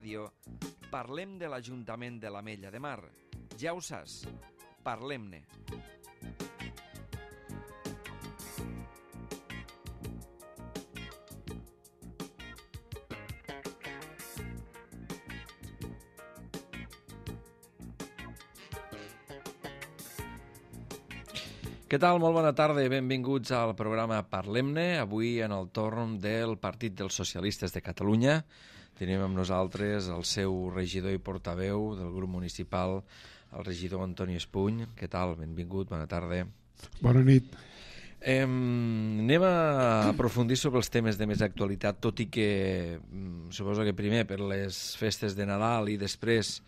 ràdio, parlem de l'Ajuntament de l'Ametlla de Mar. Ja ho saps, parlem-ne. Què tal? Molt bona tarda i benvinguts al programa Parlem-ne. Avui en el torn del Partit dels Socialistes de Catalunya. Tenim amb nosaltres el seu regidor i portaveu del grup municipal, el regidor Antoni Espuny. Què tal? Benvingut, bona tarda. Bona nit. Anem a aprofundir sobre els temes de més actualitat, tot i que suposo que primer per les festes de Nadal i després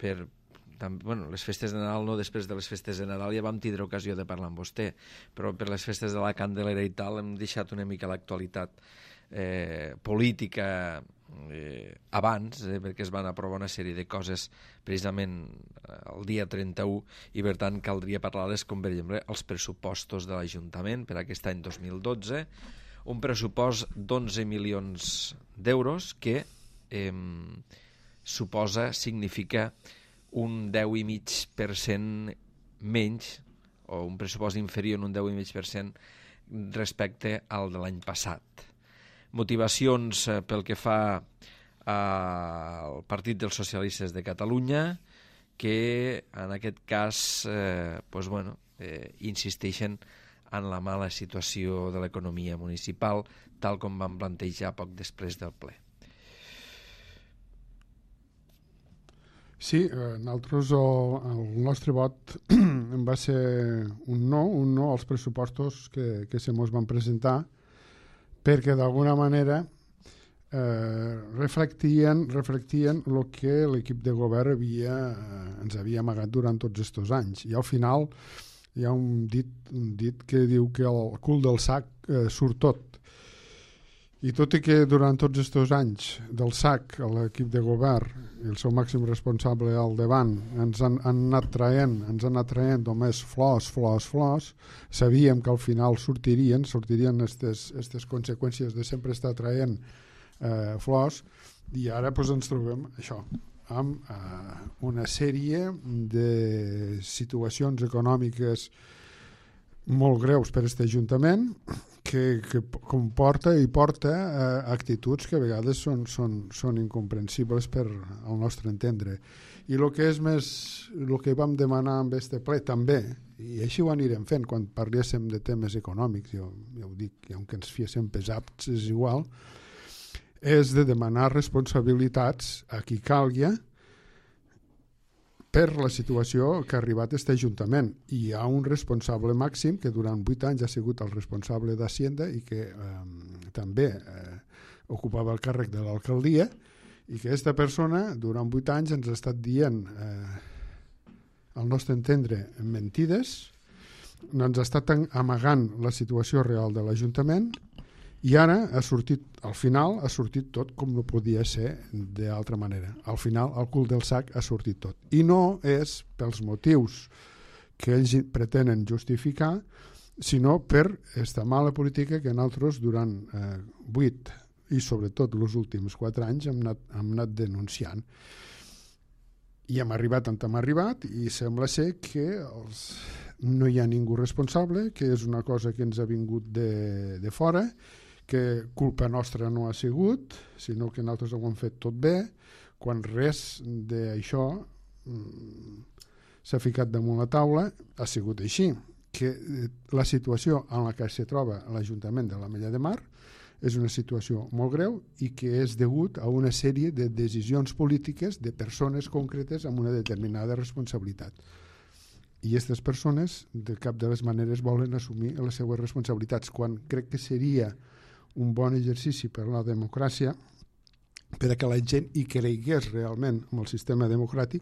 per... Bueno, les festes de Nadal no, després de les festes de Nadal ja vam tindre ocasió de parlar amb vostè, però per les festes de la Candelera i tal hem deixat una mica l'actualitat política abans, perquè es van aprovar una sèrie de coses precisament el dia 31 i per tant caldria parlar-les, com per exemple els pressupostos de l'Ajuntament per aquest any 2012, un pressupost d'11 milions d'euros que significa un 10,5% menys, o un pressupost inferior en un 10,5% respecte al de l'any passat. Motivacions pel que fa al Partit dels Socialistes de Catalunya, que en aquest cas insisteixen en la mala situació de l'economia municipal, tal com van plantejar poc després del ple. Sí, nosaltres el nostre vot va ser un no als pressupostos que se mos van presentar, perquè d'alguna manera reflectien el que l'equip de govern ens havia amagat durant tots aquests anys. I al final hi ha un dit que diu que el cul del sac surt tot. I tot i que durant tots aquests anys del SAC, l'equip de govern i el seu màxim responsable al davant ens han anat traient només flors, sabíem que al final sortirien aquestes conseqüències de sempre estar traient flors, i ara ens trobem això, amb una sèrie de situacions econòmiques molt greus per a aquest Ajuntament, que comporta i porta actituds que a vegades són incomprensibles per al nostre entendre. I el que vam demanar amb este ple també, i així ho anirem fent quan parléssim de temes econòmics, jo ho dic, aunque ens fiéssim pesats és igual, és de demanar responsabilitats a qui calgui per la situació que ha arribat aquest Ajuntament. I hi ha un responsable màxim que durant 8 anys ha sigut el responsable d'Hacienda i que també ocupava el càrrec de l'alcaldia, i que aquesta persona durant 8 anys ens ha estat dient, al nostre entendre, mentides, ens ha estat amagant la situació real de l'Ajuntament, i ara al final ha sortit tot com no podia ser d'altra manera. Al final el cul del sac ha sortit tot. I no és pels motius que ells pretenen justificar, sinó per aquesta mala política que nosaltres durant 8 i sobretot els últims 4 anys hem anat denunciant. I hem arribat on hem arribat i sembla ser que no hi ha ningú responsable, que és una cosa que ens ha vingut de fora, que culpa nostra no ha sigut, sinó que nosaltres ho hem fet tot bé, quan res d'això s'ha ficat damunt la taula. Ha sigut així, que la situació en la que se troba l'Ajuntament de l'Ametlla de Mar és una situació molt greu i que és degut a una sèrie de decisions polítiques de persones concretes amb una determinada responsabilitat. I aquestes persones de cap de les maneres volen assumir les seues responsabilitats, quan crec que seria un bon exercici per a la democràcia, per a que la gent hi cregués realment en el sistema democràtic,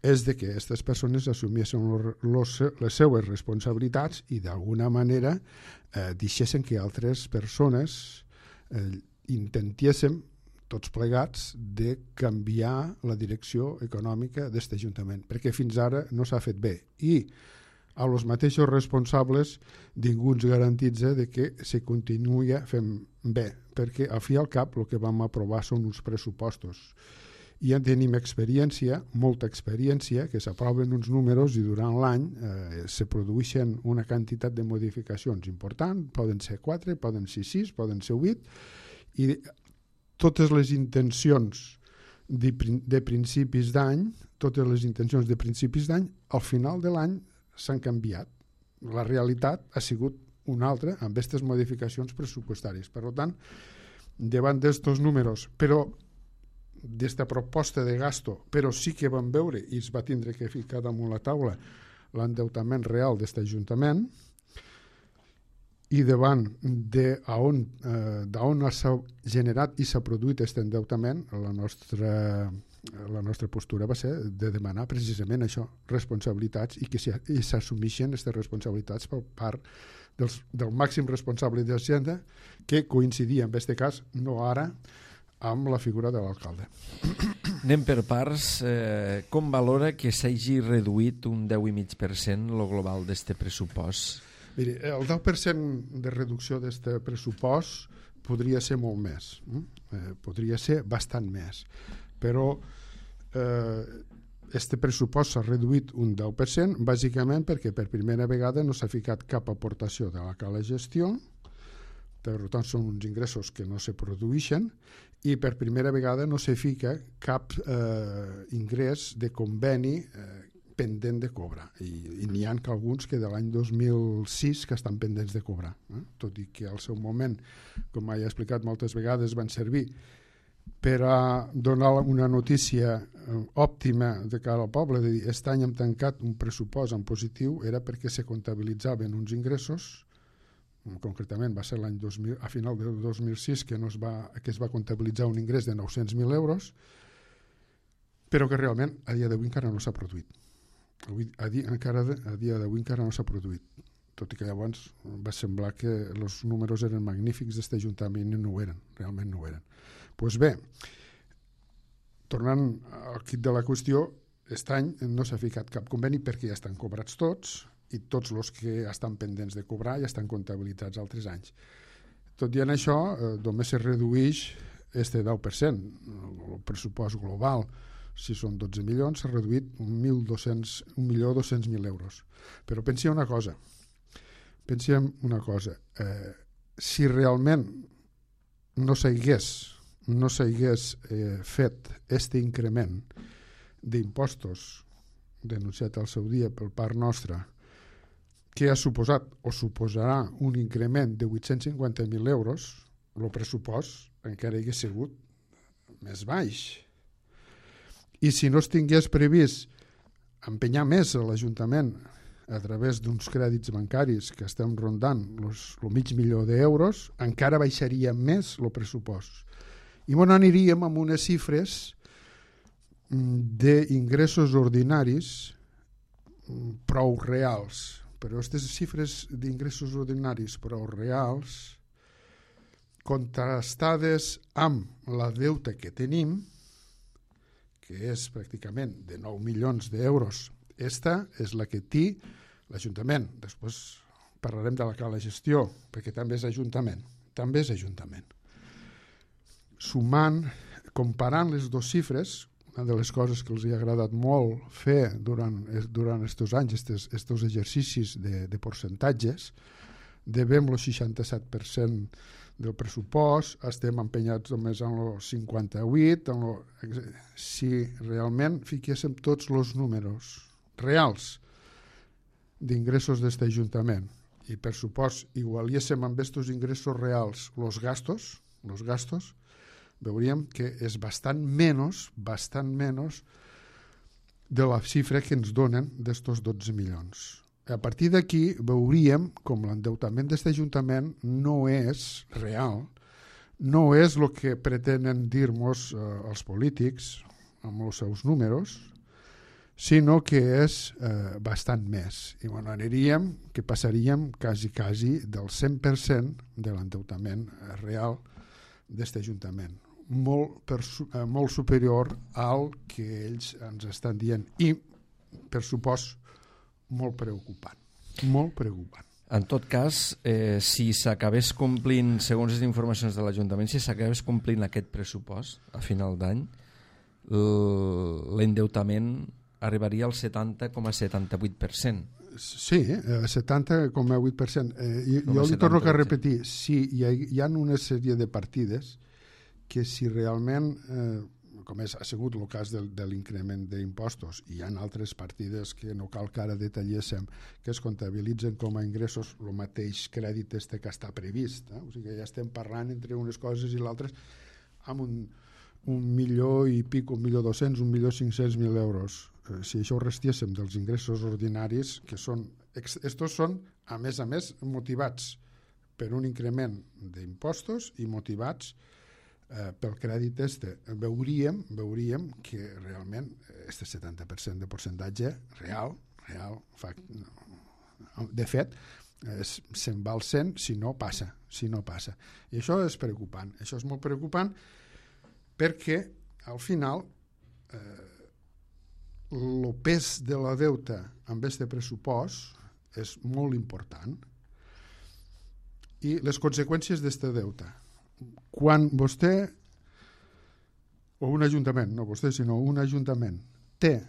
és de que aquestes persones assumissin les seues responsabilitats i d'alguna manera deixessin que altres persones intentéssim tots plegats de canviar la direcció econòmica d'aquest Ajuntament, perquè fins ara no s'ha fet bé. I a los mateixos responsables ningú ens garantitza de que se continuï fent bé, perquè al fi i al cap el que vam aprovar són uns pressupostos. I ja tenim experiència, molta experiència, que s'aproven uns números i durant l'any se produeixen una quantitat de modificacions importants, poden ser 4, poden ser 6, poden ser 8, i totes les intencions de principis d'any, al final de l'any s'han canviat. La realitat ha sigut una altra amb aquestes modificacions pressupostàries. Per tant, davant d'estos números, però d'esta proposta de gasto, però sí que vam veure i es va tindre que ficar damunt la taula l'endeutament real d'aquest Ajuntament, i davant d'on s'ha generat i s'ha produït aquest endeutament, la nostra postura va ser de demanar precisament això, responsabilitats, i que s'assumeixen aquestes responsabilitats per part del màxim responsable d'Hisenda, que coincidia en aquest cas, no ara, amb la figura de l'alcalde. Anem per parts. Com valora que s'hagi reduït un 10,5% el global d'aquest pressupost? Miri, el 10% de reducció d'aquest pressupost podria ser molt més, podria ser bastant més, però aquest pressupost s'ha reduït un 10%, bàsicament perquè per primera vegada no s'ha ficat cap aportació de la cala gestió, per tant són uns ingressos que no se produeixen, i per primera vegada no se fica cap ingrés de conveni pendent de cobrar, i n'hi ha alguns que de l'any 2006 que estan pendents de cobrar, tot i que al seu moment, com ja he explicat moltes vegades, van servir per a donar una notícia òptima de cara al poble, de dir, aquest any hem tancat un pressupost en positiu, era perquè se comptabilitzaven uns ingressos, concretament va ser a final del 2006 que es va comptabilitzar un ingrés de 900.000 euros, però que realment a dia d'avui encara no s'ha produït. A dia d'avui encara no s'ha produït, tot i que llavors va semblar que els números eren magnífics d'aquest Ajuntament i no ho eren, realment no ho eren. Doncs bé, tornant al quid de la qüestió, aquest any no s'ha ficat cap conveni perquè ja estan cobrats tots, i tots els que estan pendents de cobrar ja estan comptabilitzats altres anys. Tot i en això, només se redueix aquest 10%, el pressupost global, si són 12 milions, s'ha reduït 1.200.000 euros. Però pensem una cosa, si realment no s'hagués fet aquest increment d'impostos denunciat al seu dia per part nostra, que ha suposat o suposarà un increment de 850.000 euros, el pressupost encara hagués sigut més baix. I si no es tingués previst empenyar més a l'Ajuntament a través d'uns crèdits bancaris que estem rondant el $500.000 d'euros, encara baixaria més el pressupost. I aniríem amb unes xifres d'ingressos ordinaris prou reals. Però aquestes xifres d'ingressos ordinaris prou reals, contrastades amb la deute que tenim, que és pràcticament de 9 milions d'euros, esta és la que té l'Ajuntament. Després parlarem de la cala gestió, perquè també és Ajuntament. Sumant, comparant les dues xifres, una de les coses que els ha agradat molt fer durant aquests anys, aquests exercicis de percentatges, devem el 67% del pressupost, estem empenyats només en el 58%, si realment fiquéssim tots els números reals d'ingressos d'aquest Ajuntament i per supost igualiéssim amb aquests ingressos reals els gastos, veuríem que és bastant menys de la xifra que ens donen d'estos 12 milions. A partir d'aquí veuríem com l'endeutament d'aquest Ajuntament no és real, no és el que pretenen dir-nos els polítics amb els seus números, sinó que és bastant més. I aniríem, que passaríem quasi del 100% de l'endeutament real d'aquest Ajuntament. Molt superior al que ells ens estan dient i, per supost, molt preocupant. En tot cas, si s'acabés complint, segons les informacions de l'Ajuntament, si s'acabés complint aquest pressupost a final d'any, l'endeutament arribaria al 70,78%. Sí, 70,8%. Jo li torno a repetir, sí, hi ha una sèrie de partides que si realment... com ha sigut el cas de l'increment d'impostos, i hi ha altres partides que no cal que ara detalléssim, que es comptabilitzen com a ingressos, el mateix crèdit que està previst. O sigui que ja estem parlant entre unes coses i l'altres amb un milió i pic, 1.200.000, 1.500.000 euros. Si això ho restiéssim dels ingressos ordinaris, que són, estos són, a més, motivats per un increment d'impostos i motivats pel crèdit veuríem que realment este 70% de percentatge real de fet se'n va al 100 si no passa. I això és preocupant, això és molt preocupant perquè al final el pes de la deuta amb este pressupost és molt important i les conseqüències d'este deuta. Quan vostè, o un ajuntament, no vostè, sinó un ajuntament, té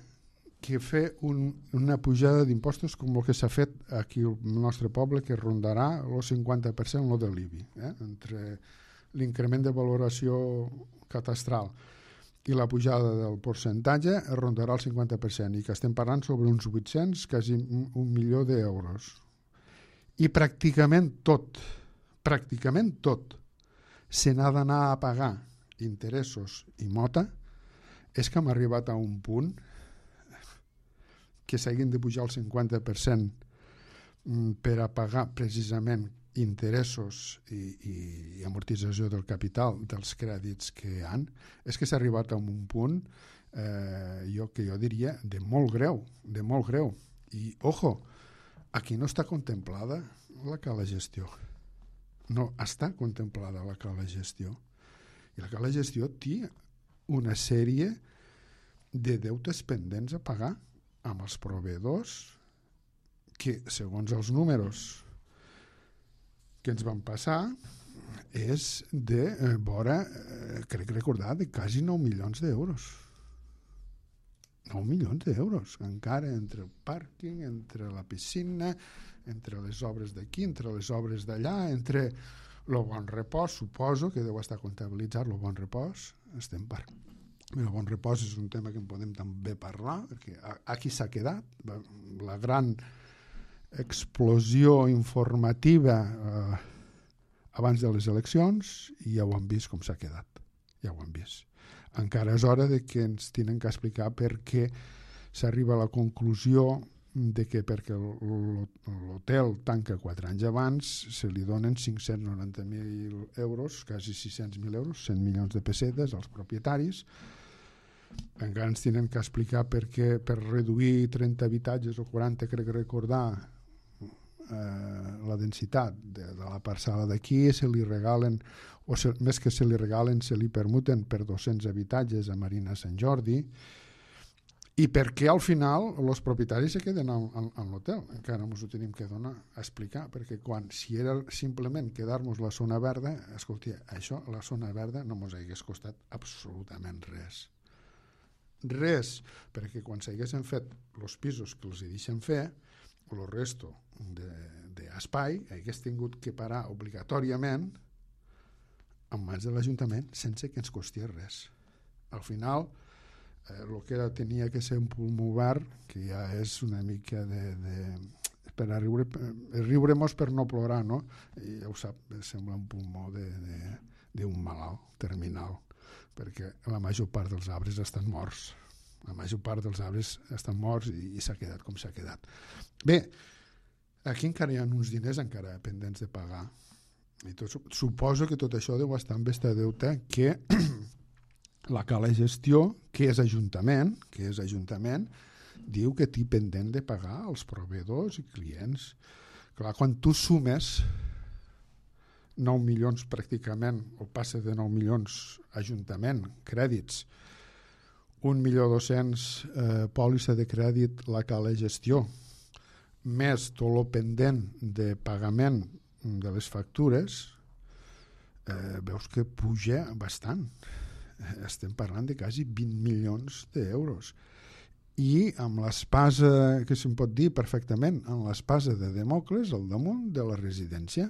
que fer una pujada d'impostos com el que s'ha fet aquí al nostre poble, que rondarà el 50% de l'IBI, entre l'increment de valoració catastral i la pujada del percentatge rondarà el 50%, i que estem parlant sobre uns 800, quasi 1 milió d'euros. I pràcticament tot se n'ha d'anar a pagar interessos i mota, és que hem arribat a un punt que s'hagin de pujar el 50% per a pagar precisament interessos i amortització del capital dels crèdits que hi ha, és que s'ha arribat a un punt que jo diria de molt greu. I, ojo, aquí no està contemplada la cala gestió. No està contemplada la cala gestió. I la cala gestió té una sèrie de deutes pendents a pagar amb els proveïdors que, segons els números que ens van passar, és de vora, crec recordar, de quasi 9 milions d'euros. 9 milions d'euros, encara entre el pàrquing, entre la piscina, entre les obres d'aquí, entre les obres d'allà, entre el bon repòs, suposo que deu estar comptabilitzat el bon repòs. El bon repòs és un tema que en podem també parlar, perquè aquí s'ha quedat la gran explosió informativa abans de les eleccions, i ja ho han vist com s'ha quedat. Ja ho han vist. Encara és hora de que ens tenen que explicar per què s'arriba a la conclusió de que perquè l'hotel tanca 4 anys abans se li donen 590.000 euros, quasi 600.000 euros, 100 milions de pessetes als propietaris. Encara ens tenen que explicar per què per reduir 30 habitatges o 40, crec recordar, la densitat de la parcel·la d'aquí se li regalen, o més que se li regalen, se li permuten per 200 habitatges a Marina Sant Jordi. I perquè al final els propietaris se queden en l'hotel. Encara ens ho tenim que donar a explicar, perquè si era simplement quedar-nos la zona verda, escolti, això, la zona verda no ens hagués costat absolutament res. Res, perquè quan s'haguessin fet els pisos que els deixen fer, el resto d'espai hagués tingut que parar obligatòriament en mans de l'Ajuntament sense que ens costés res. Al final, el que tenia que ser un pulmó obert, que ja és una mica per a riure-mos per no plorar, no? I ja ho sap, sembla un pulmó d'un malalt terminal, perquè la major part dels arbres estan morts. La major part dels arbres estan morts i s'ha quedat com s'ha quedat. Bé, aquí encara hi ha uns diners encara pendents de pagar. I suposo que tot això deu estar amb este deute que la cala gestió, que és Ajuntament, diu que té pendent de pagar als proveïdors i clients. Clar, quan tu sumes 9 milions pràcticament, o passa de 9 milions Ajuntament, crèdits, 1.200.000 pòlissa de crèdit, la cala gestió, més tot el pendent de pagament de les factures, veus que puja bastant. Estem parlant de quasi 20 milions d'euros. I amb l'espasa, que se'n pot dir perfectament, amb l'espasa de Demòcles al damunt de la residència.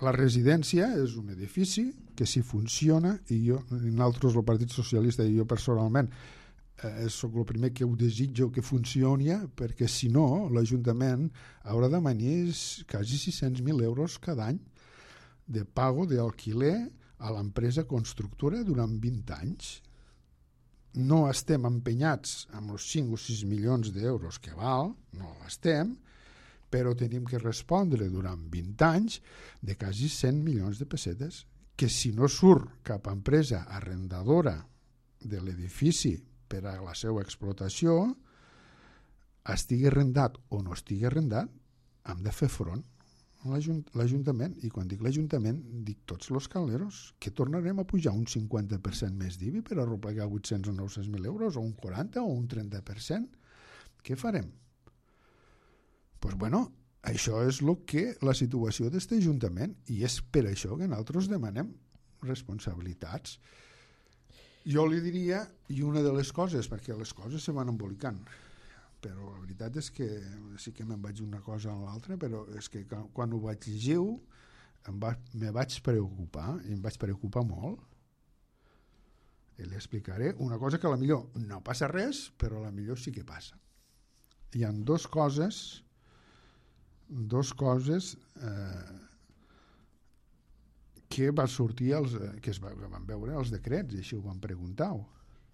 La residència és un edifici que si funciona, i nosaltres, el Partit Socialista, i jo personalment, soc el primer que ho desitjo que funcioni, perquè si no, l'Ajuntament haurà de manir quasi 600.000 euros cada any de pago d'alquiler a l'empresa constructora durant 20 anys. No estem empenyats amb els 5 o 6 milions d'euros que val, no l'estem, però tenim que respondre durant 20 anys de quasi 100 milions de pessetes, que si no surt cap empresa arrendadora de l'edifici per a la seva explotació, estigui arrendat o no estigui arrendat, hem de fer front a l'Ajuntament. I quan dic l'Ajuntament, dic tots els caleros, que tornarem a pujar un 50% més d'IBI per arreplegar 800 o 900.000 euros, o un 40 o un 30%. Què farem? Doncs bueno, això és la situació d'aquest Ajuntament, i és per això que nosaltres demanem responsabilitats. Jo li diria, i una de les coses, perquè les coses se van embolicant, però la veritat és que sí que me'n vaig d'una cosa a l'altra, però és que quan ho vaig llegir me vaig preocupar, i em vaig preocupar molt, i li explicaré una cosa que a la millor no passa res, però a la millor sí que passa. Hi ha dues coses que van sortir que es van veure els decrets, i així ho van preguntar.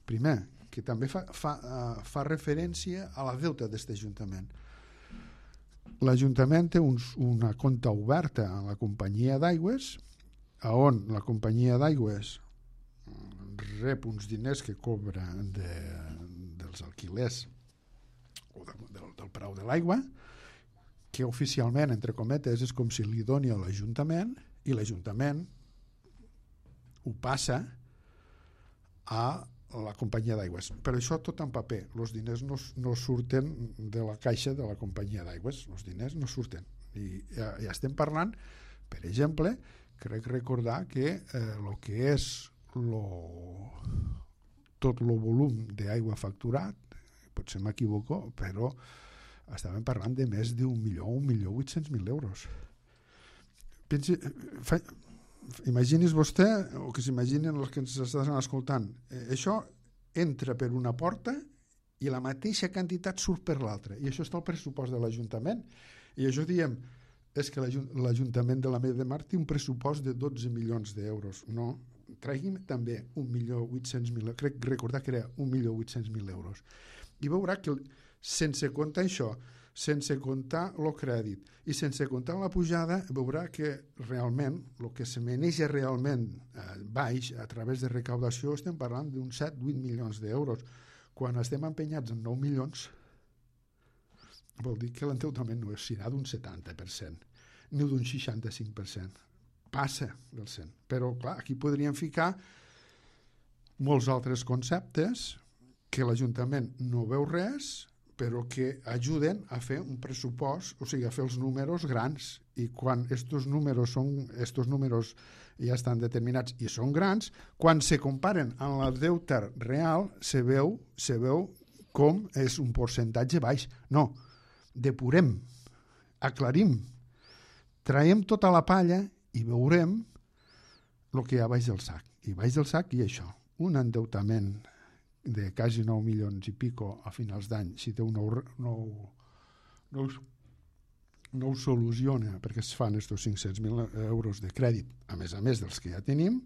Primer, que també fa referència a la deuta d'aquest Ajuntament. L'Ajuntament té una compta oberta a la companyia d'aigües, on la companyia d'aigües rep uns diners que cobra dels alquilers o del preu de l'aigua, que oficialment, entre cometes, és com si li doni a l'Ajuntament, i l'Ajuntament ho passa a la companyia d'aigües. Però això tot en paper. Els diners no surten de la caixa de la companyia d'aigües. Els diners no surten. I ja estem parlant, per exemple, crec recordar que el que és tot el volum d'aigua facturat, potser m'equivoco, però estàvem parlant de més d'1.800.000 euros. Imagini's vostè, o que s'imaginen els que ens estan escoltant, això entra per una porta i la mateixa quantitat surt per l'altra, i això està al pressupost de l'Ajuntament, i això diem, és que l'Ajuntament de l'Ametlla de Mar té un pressupost de 12 milions d'euros. No, tragui'm també 1.800.000, crec recordar que era 1.800.000 euros, i veurà que sense comptar això, sense comptar el crèdit i sense comptar la pujada, veurà que realment el que se maneja realment baix a través de recaudació estem parlant d'uns 7-8 milions d'euros. Quan estem empenyats en 9 milions, vol dir que l'endeutament no serà d'un 70%, ni d'un 65%. Passa del 100%. Però, clar, aquí podríem ficar molts altres conceptes que l'Ajuntament no veu res, però que ajuden a fer un pressupost, o sigui, a fer els números grans, i quan estos números ja estan determinats i són grans, quan se comparen amb el deute real, se veu com és un percentatge baix. No, depurem, aclarim, traiem tota la palla i veurem el que hi ha baix del sac. I baix del sac hi ha això, un endeutament de quasi 9 milions i pico a finals d'any, si Déu no ho soluciona, perquè es fan estos 500.000 euros de crèdit, a més dels que ja tenim,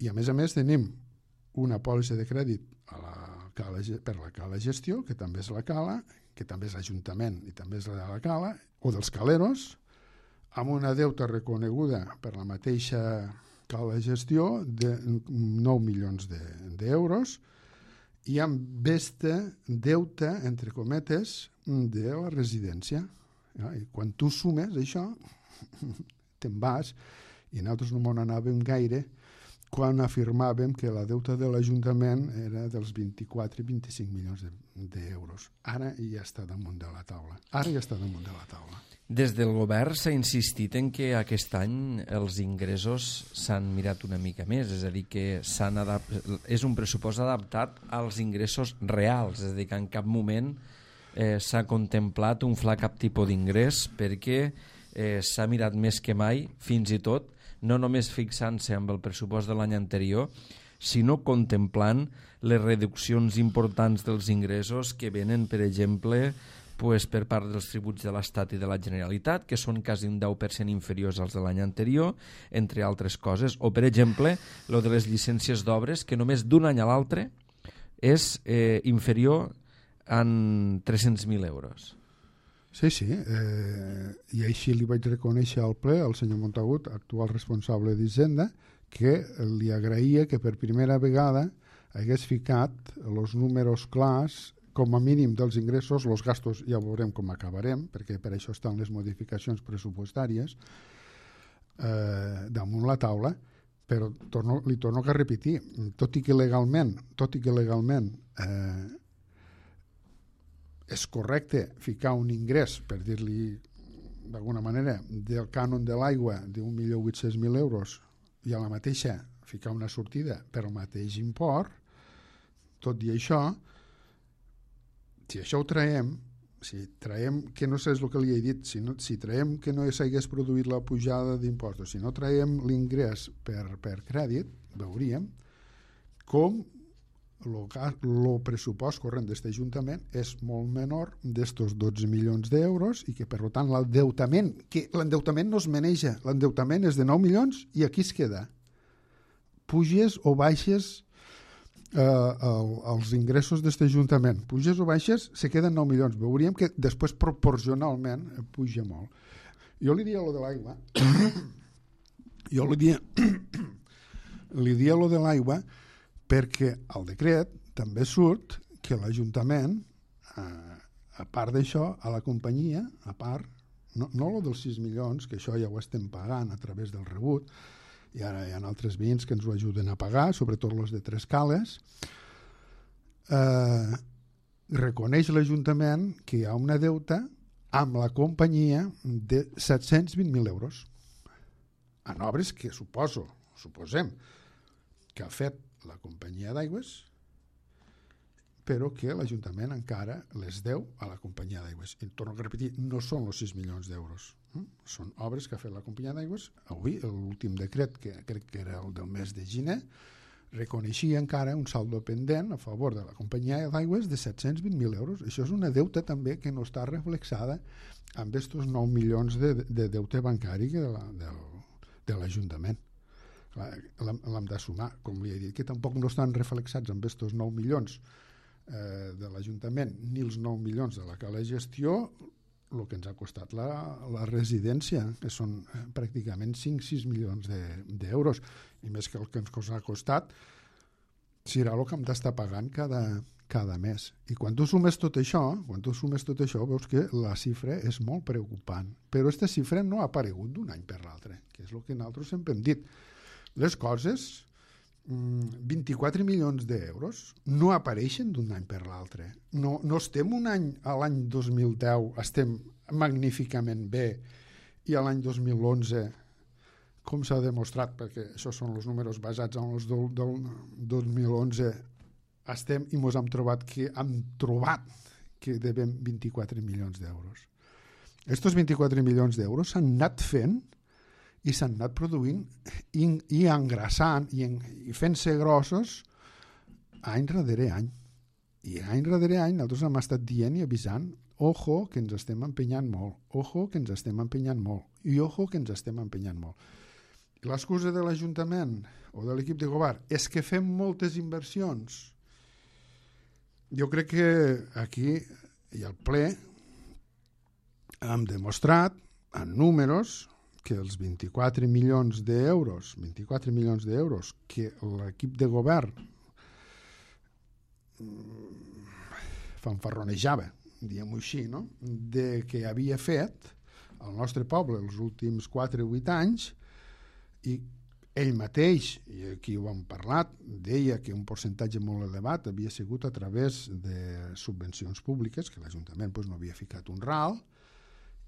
i a més tenim una pòlissa de crèdit per la Cala Gestió, que també és la Cala, que també és l'Ajuntament i també és la Cala, o dels caleros, amb una deuta reconeguda per la mateixa Cala Gestió de 9 milions d'euros, i amb este deute, entre cometes, de la residència. I quan tu sumes això, te'n vas, i nosaltres no m'on anàvem gaire, quan afirmàvem que la deuta de l'Ajuntament era dels 24 i 25 milions d'euros. Ara ja està damunt de la taula. Des del govern s'ha insistit en que aquest any els ingressos s'han mirat una mica més, és a dir, que és un pressupost adaptat als ingressos reals, és a dir, que en cap moment s'ha contemplat un fla cap tipus d'ingrés, perquè s'ha mirat més que mai, fins i tot, no només fixant-se amb el pressupost de l'any anterior, sinó contemplant les reduccions importants dels ingressos que venen, per exemple, per part dels tributs de l'Estat i de la Generalitat, que són quasi un 10% inferiors als de l'any anterior, entre altres coses, o, per exemple, lo de les llicències d'obres, que només d'un any a l'altre és inferior en 300.000 euros. Sí, i així li vaig reconèixer al ple al senyor Montagut, actual responsable d'Hisenda, que li agraïa que per primera vegada hagués ficat els números clars, com a mínim dels ingressos, els gastos ja veurem com acabarem, perquè per això estan les modificacions pressupostàries damunt la taula, però li torno a repetir, tot i que legalment és correcte ficar un ingrés, per dir-li d'alguna manera, del cànon de l'aigua d'1.800.000 euros i a la mateixa ficar una sortida per al mateix import, tot i això, si això ho traiem, que no sé el que li he dit, si traiem que no s'hagués produït la pujada d'impostos, si no traiem l'ingrés per crèdit, veuríem com el pressupost corrent d'aquest Ajuntament és molt menor d'estos 12 milions d'euros i que, per tant, l'endeutament no es maneja, l'endeutament és de 9 milions i aquí es queda. Puges o baixes els ingressos d'aquest Ajuntament. Puges o baixes, se queden 9 milions. Veuríem que després proporcionalment puja molt. Jo li dia lo de l'aigua de l'aigua perquè al decret també surt que l'Ajuntament, a part d'això, a la companyia, a part, no lo dels 6 milions, que això ja ho estem pagant a través del rebut, i ara hi ha altres veïns que ens ho ajuden a pagar, sobretot els de Tres Cales, reconeix l'Ajuntament que hi ha una deuta amb la companyia de 720.000 euros en obres que suposem que ha fet la companyia d'aigües, però que l'Ajuntament encara les deu a la companyia d'aigües. I torno a repetir, no són els 6 milions d'euros. Són obres que ha fet la companyia d'aigües. Avui, l'últim decret, que crec que era el del mes de gener, reconeixia encara un saldo pendent a favor de la companyia d'aigües de 720.000 euros. Això és una deuta també que no està reflexada amb aquests 9 milions de deute bancari de l'Ajuntament. L'hem de sumar, com li he dit, que tampoc no estan reflexats amb aquests 9 milions de l'Ajuntament ni els 9 milions de la cala gestió, el que ens ha costat la residència, que són pràcticament 5-6 milions d'euros, i més que el que ens ha costat serà el que hem d'estar pagant cada mes. I quan tu sumes tot això, veus que la xifra és molt preocupant, però aquesta xifra no ha aparegut d'un any per l'altre, que és el que nosaltres sempre hem dit. Les coses, 24 milions d'euros, no apareixen d'un any per l'altre. No estem un any, a l'any 2010, estem magníficament bé, i a l'any 2011, com s'ha demostrat, perquè això són els números basats en els del 2011, estem i ens hem trobat que devem 24 milions d'euros. Aquests 24 milions d'euros s'han anat fent i s'han anat produint i engrassant i fent-se grossos any darrere any. I any darrere any nosaltres hem estat dient i avisant, ojo que ens estem empenyant molt, ojo que ens estem empenyant molt, i ojo que ens estem empenyant molt. L'excusa de l'Ajuntament o de l'equip de govern és que fem moltes inversions. Jo crec que aquí i al ple hem demostrat en números que els 24 milions d'euros que l'equip de govern fanfarronejava, diguem-ho així, no? De que havia fet el nostre poble els últims 4 o 8 anys i Ell mateix, i aquí ho hem parlat, deia que un percentatge molt elevat havia sigut a través de subvencions públiques, que l'Ajuntament no havia ficat un ral,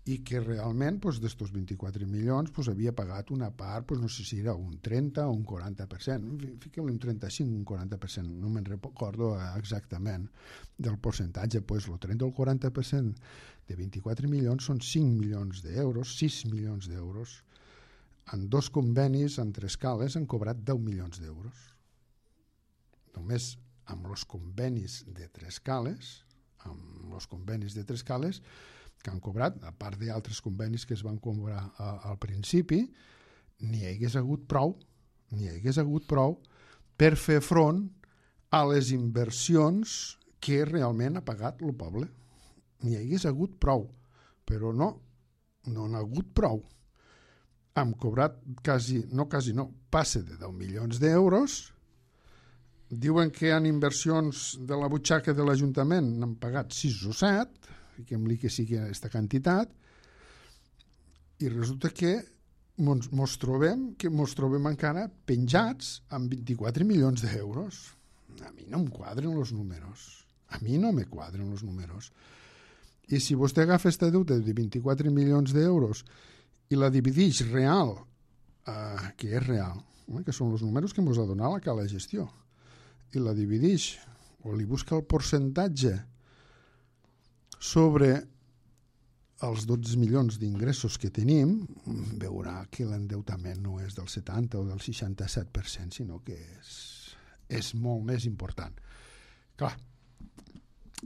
i que realment d'estos 24 milions havia pagat una part, no sé si era un 30 o un 40%, fiquem-li un 35 o un 40%, no me'n recordo exactament del percentatge, el 30 o el 40% de 24 milions són 5 milions d'euros, 6 milions d'euros. En 2 convenis, en 3 cales, han cobrat 10 milions d'euros. Només amb els convenis de 3 cales, que han cobrat, a part d'altres convenis que es van cobrar al principi, n'hi hagués hagut prou per fer front a les inversions que realment ha pagat el poble. N'hi hagués hagut prou, però no n'ha hagut prou. Hem cobrat passe de 10 milions d'euros. Diuen que en inversions de la butxaca de l'Ajuntament n'han pagat 6 o 7, fiquem-li que sigui aquesta quantitat, i resulta que mos trobem encara penjats amb 24 milions d'euros. A mi no em quadren els números. I si vostè agafa aquesta deuta de 24 milions d'euros i la divideix real, que és real, que són els números que ens ha donat la cala de gestió, i la divideix o li busca el percentatge sobre els 12 milions d'ingressos que tenim, veurà que l'endeutament no és del 70 o del 67%, sinó que és molt més important. Clar,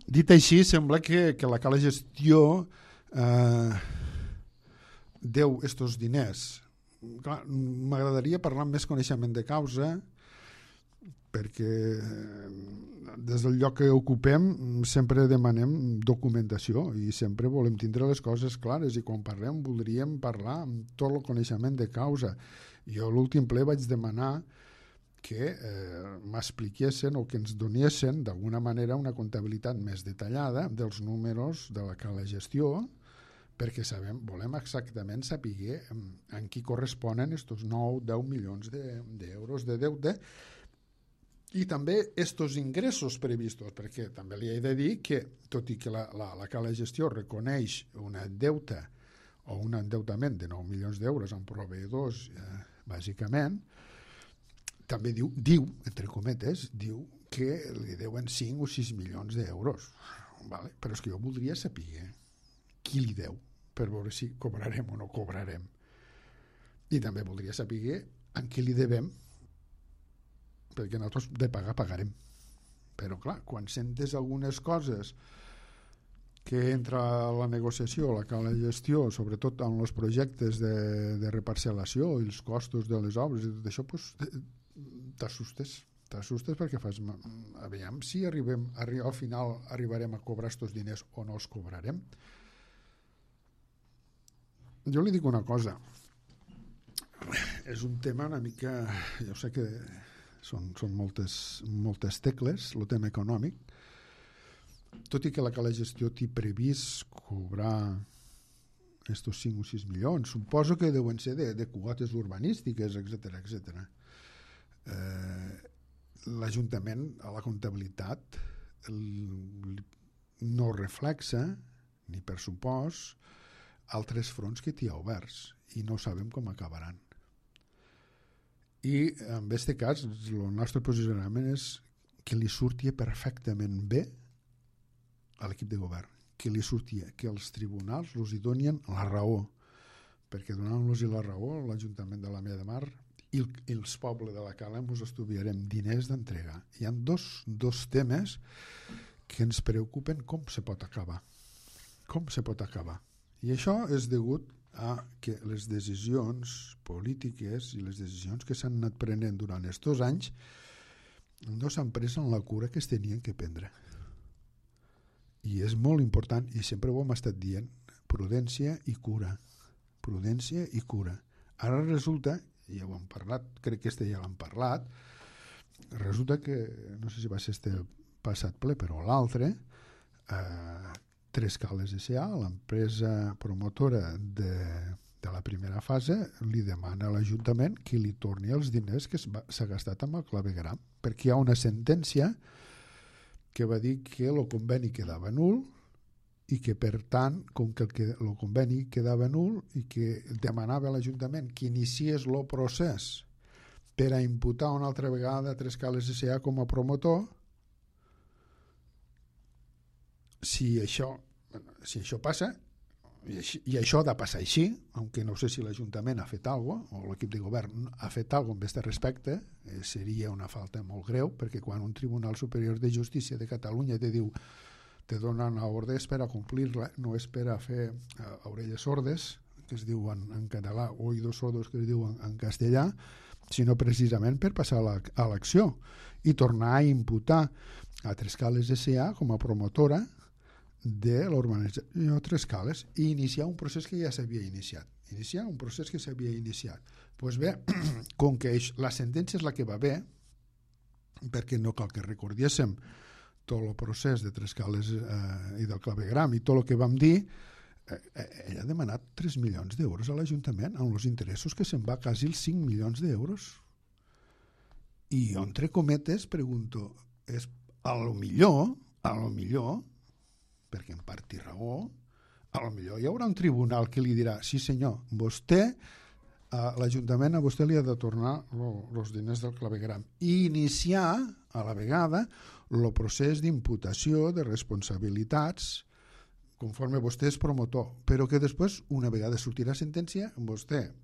dit així, sembla que la cala de gestió deu estos diners. Clar, m'agradaria parlar amb més coneixement de causa, perquè des del lloc que ocupem sempre demanem documentació i sempre volem tindre les coses clares, i quan parlem voldríem parlar amb tot el coneixement de causa. Jo a l'últim ple vaig demanar que m'expliquessin o que ens donessin d'alguna manera una comptabilitat més detallada dels números de la cala de gestió, perquè volem exactament saber en qui corresponen estos 9-10 milions d'euros de deute, i també estos ingressos previstos, perquè també li he de dir que, tot i que la cala de gestió reconeix una deuta o un endeutament de 9 milions d'euros amb proveïdors, bàsicament, també diu, entre cometes, diu que li deuen 5 o 6 milions d'euros. Vale? Però és que jo voldria saber qui li deu, per veure si cobrarem o no cobrarem. I també voldria saber en què li devem, perquè nosaltres de pagar pagarem. Però clar, quan sentes algunes coses que entra la negociació, la cala de gestió, sobretot en els projectes de reparcel·lació i els costos de les obres i tot això, t'assustes perquè fas, aviam si al final arribarem a cobrar estos diners o no els cobrarem. Jo li dic una cosa, és un tema una mica, jo sé que són moltes tecles, el tema econòmic, tot i que la cala de gestió té previst cobrar estos 5 o 6 milions, suposo que deuen ser de quotes urbanístiques, etc. L'Ajuntament a la comptabilitat no reflexa ni pressupost altres fronts que té oberts i no sabem com acabaran. I en aquest cas el nostre posicionament és que li surti perfectament bé a l'equip de govern, que li surti, que els tribunals els hi donin la raó, perquè donant-los la raó l'Ajuntament de la Mella de Mar i els pobles de la Cala ens estudiarem diners d'entrega. Hi ha dos temes que ens preocupen com se pot acabar. I això és degut a que les decisions polítiques i les decisions que s'han anat prenent durant aquests anys no s'han pres en la cura que es tenien que prendre. I és molt important, i sempre ho hem estat dient, prudència i cura. Ara resulta, i ja ho hem parlat, crec que ja l'hem parlat, resulta que, no sé si va ser este passat ple, però l'altre, Tres Cales S.A., l'empresa promotora de la primera fase li demana a l'Ajuntament que li torni els diners que s'ha gastat amb el clavegueram, perquè hi ha una sentència que va dir que el conveni quedava nul i que, per tant, com que el conveni quedava nul i que demanava a l'Ajuntament que iniciés el procés per a imputar una altra vegada Trescales S.A. com a promotor, si això passa, i això ha de passar així, aunque no sé si l'Ajuntament ha fet alguna cosa, o l'equip de govern ha fet alguna cosa en aquest respecte, seria una falta molt greu, perquè quan un Tribunal Superior de Justícia de Catalunya te diu, te donen ordres per a complir-la, no és per a fer orelles sordes, que es diu en català, oïdos sordos, que es diu en castellà, sinó precisament per passar a l'acció i tornar a imputar a Trescales S.A. com a promotora de l'urbanització Trescales i iniciar un procés que ja s'havia iniciat. Doncs bé, com que la sentència és la que va bé, perquè no cal que recordéssim tot el procés de Trescales i del clavegueram i tot el que vam dir, ell ha demanat 3 milions d'euros a l'Ajuntament amb els interessos que se'n va quasi els 5 milions d'euros. I jo, entre cometes, pregunto, és a lo millor, perquè en part té raó, a lo millor hi haurà un tribunal que li dirà, sí senyor, l'Ajuntament a vostè li ha de tornar els diners del clavegueram i iniciar a la vegada el procés d'imputació de responsabilitats conforme vostè és promotor, però que després, una vegada sortirà sentència, vostè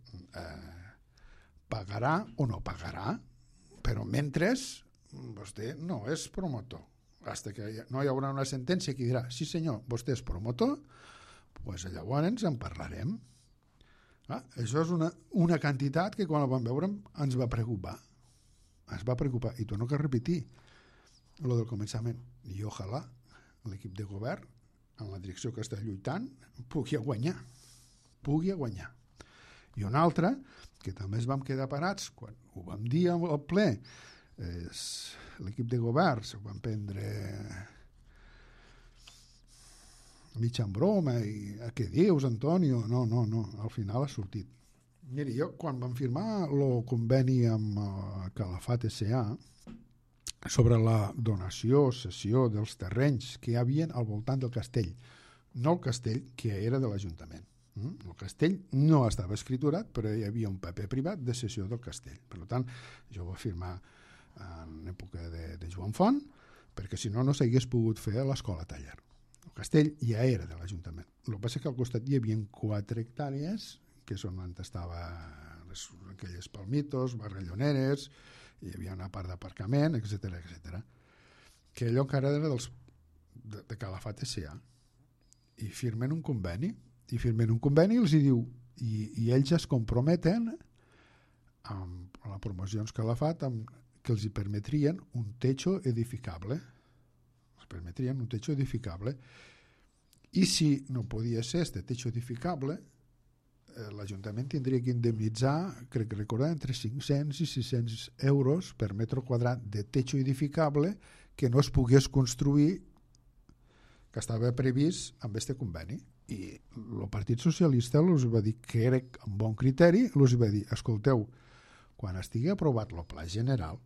pagarà o no pagarà, però mentre vostè no és promotor. Fins que no hi haurà una sentència que dirà, sí senyor, vostè és promotor, doncs llavors en parlarem. Això és una quantitat que quan la vam veure ens va preocupar. I torno a repetir el del començament. I ojalà l'equip de govern, en la direcció que està lluitant, pugui guanyar. I una altra, que també ens vam quedar parats, quan ho vam dir al ple, l'equip de govern s'ho van prendre mig en broma i què dius, Antonio? No, al final ha sortit. Miri, jo quan vam firmar el conveni amb Calafat S.A. sobre la donació o cessió dels terrenys que hi havia al voltant del castell, no el castell que era de l'Ajuntament. El castell no estava escriturat, però hi havia un paper privat de cessió del castell. Per tant, jo ho vaig firmar en època de Joan Font, perquè si no, no s'hagués pogut fer a l'escola taller. El castell ja era de l'Ajuntament. El que passa que al costat hi havia 4 hectàrees, que és on estaven aquelles palmitos, barrelloneres, hi havia una part d'aparcament, etc. Que allò encara era de Calafat S.A. I firmen un conveni, i els hi diu, i ells es comprometen amb la promoció Calafat que els hi permetrien un techo edificable. I si no podia ser este techo edificable, l'Ajuntament tindria que indemnitzar, crec que recordar, entre 500 i 600 euros per metre quadrat de techo edificable que no es pogués construir, que estava previst amb este conveni. I el Partit Socialista els va dir que era amb bon criteri, els va dir, escolteu, quan estigui aprovat el pla general,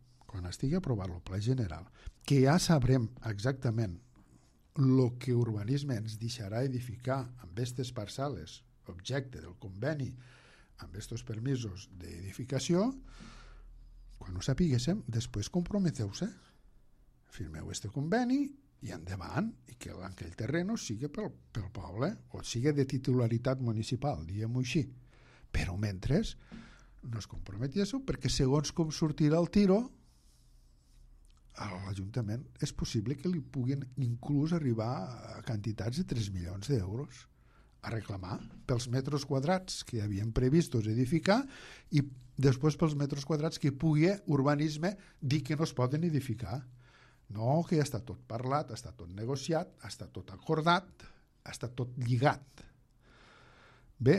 que ja sabrem exactament el que urbanisme ens deixarà edificar amb aquestes parcel·les, objecte del conveni, amb aquests permisos d'edificació, quan ho sapiguéssim, després comprometeu-se, firmeu este conveni i endavant, i que aquell terreno sigui pel poble, o sigui de titularitat municipal, diguem-ho així. Però mentre no es comprometéssiu, perquè segons com sortirà el tiro, a l'Ajuntament és possible que li puguin inclús arribar a quantitats de 3 milions d'euros a reclamar pels metres quadrats que havien previstos edificar i després pels metres quadrats que pugui urbanisme dir que no es poden edificar. No, que ja està tot parlat, està tot negociat, està tot acordat, està tot lligat. Bé,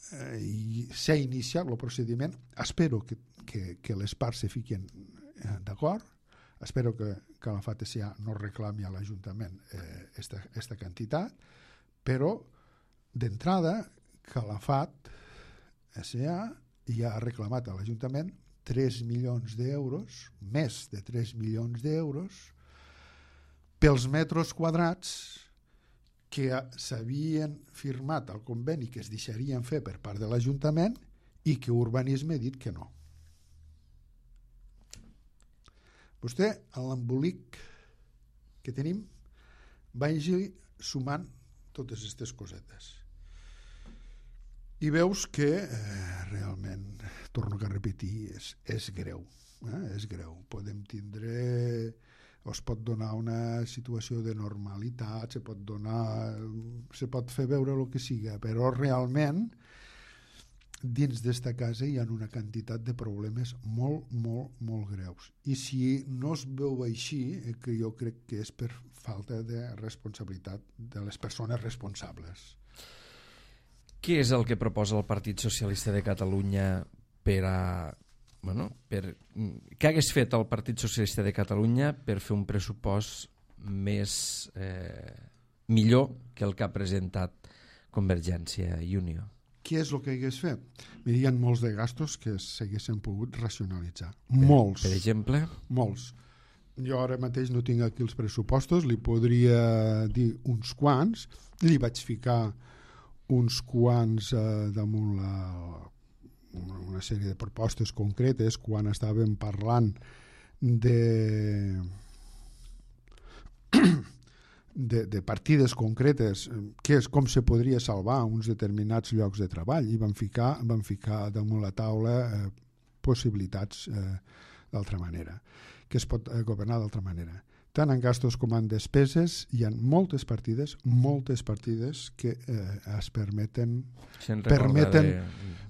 s'ha iniciat el procediment, espero que les parts se fiquen d'acord, espero que Calafat S.A. no reclami a l'Ajuntament esta quantitat, però d'entrada Calafat S.A. ja ha reclamat a l'Ajuntament 3 milions d'euros, més de 3 milions d'euros, pels metres quadrats que s'havien firmat al conveni que es deixarien fer per part de l'Ajuntament i que Urbanisme ha dit que no. Vostè, a l'embolic que tenim, vagi sumant totes aquestes cosetes. I veus que realment, torno a repetir, és greu. És greu. Podem tindre, o es pot donar una situació de normalitat, se pot fer veure el que siga, però realment dins d'esta casa hi ha una quantitat de problemes molt, molt, molt greus. I si no es veu així, que jo crec que és per falta de responsabilitat de les persones responsables. Què és el que proposa el Partit Socialista de Catalunya què hagués fet el Partit Socialista de Catalunya per fer un pressupost millor que el que ha presentat Convergència i Unió? Què és el que hagués fet? Hi ha molts de gastos que s'haguessin pogut racionalitzar. Molts. Per exemple? Molts. Jo ara mateix no tinc aquí els pressupostos, li podria dir uns quants, li vaig ficar uns quants damunt una sèrie de propostes concretes quan estàvem parlant de partides concretes, com se podria salvar uns determinats llocs de treball, i vam ficar damunt la taula possibilitats d'altra manera, que es pot governar d'altra manera. Tant en gastos com en despeses hi ha moltes partides que es permeten...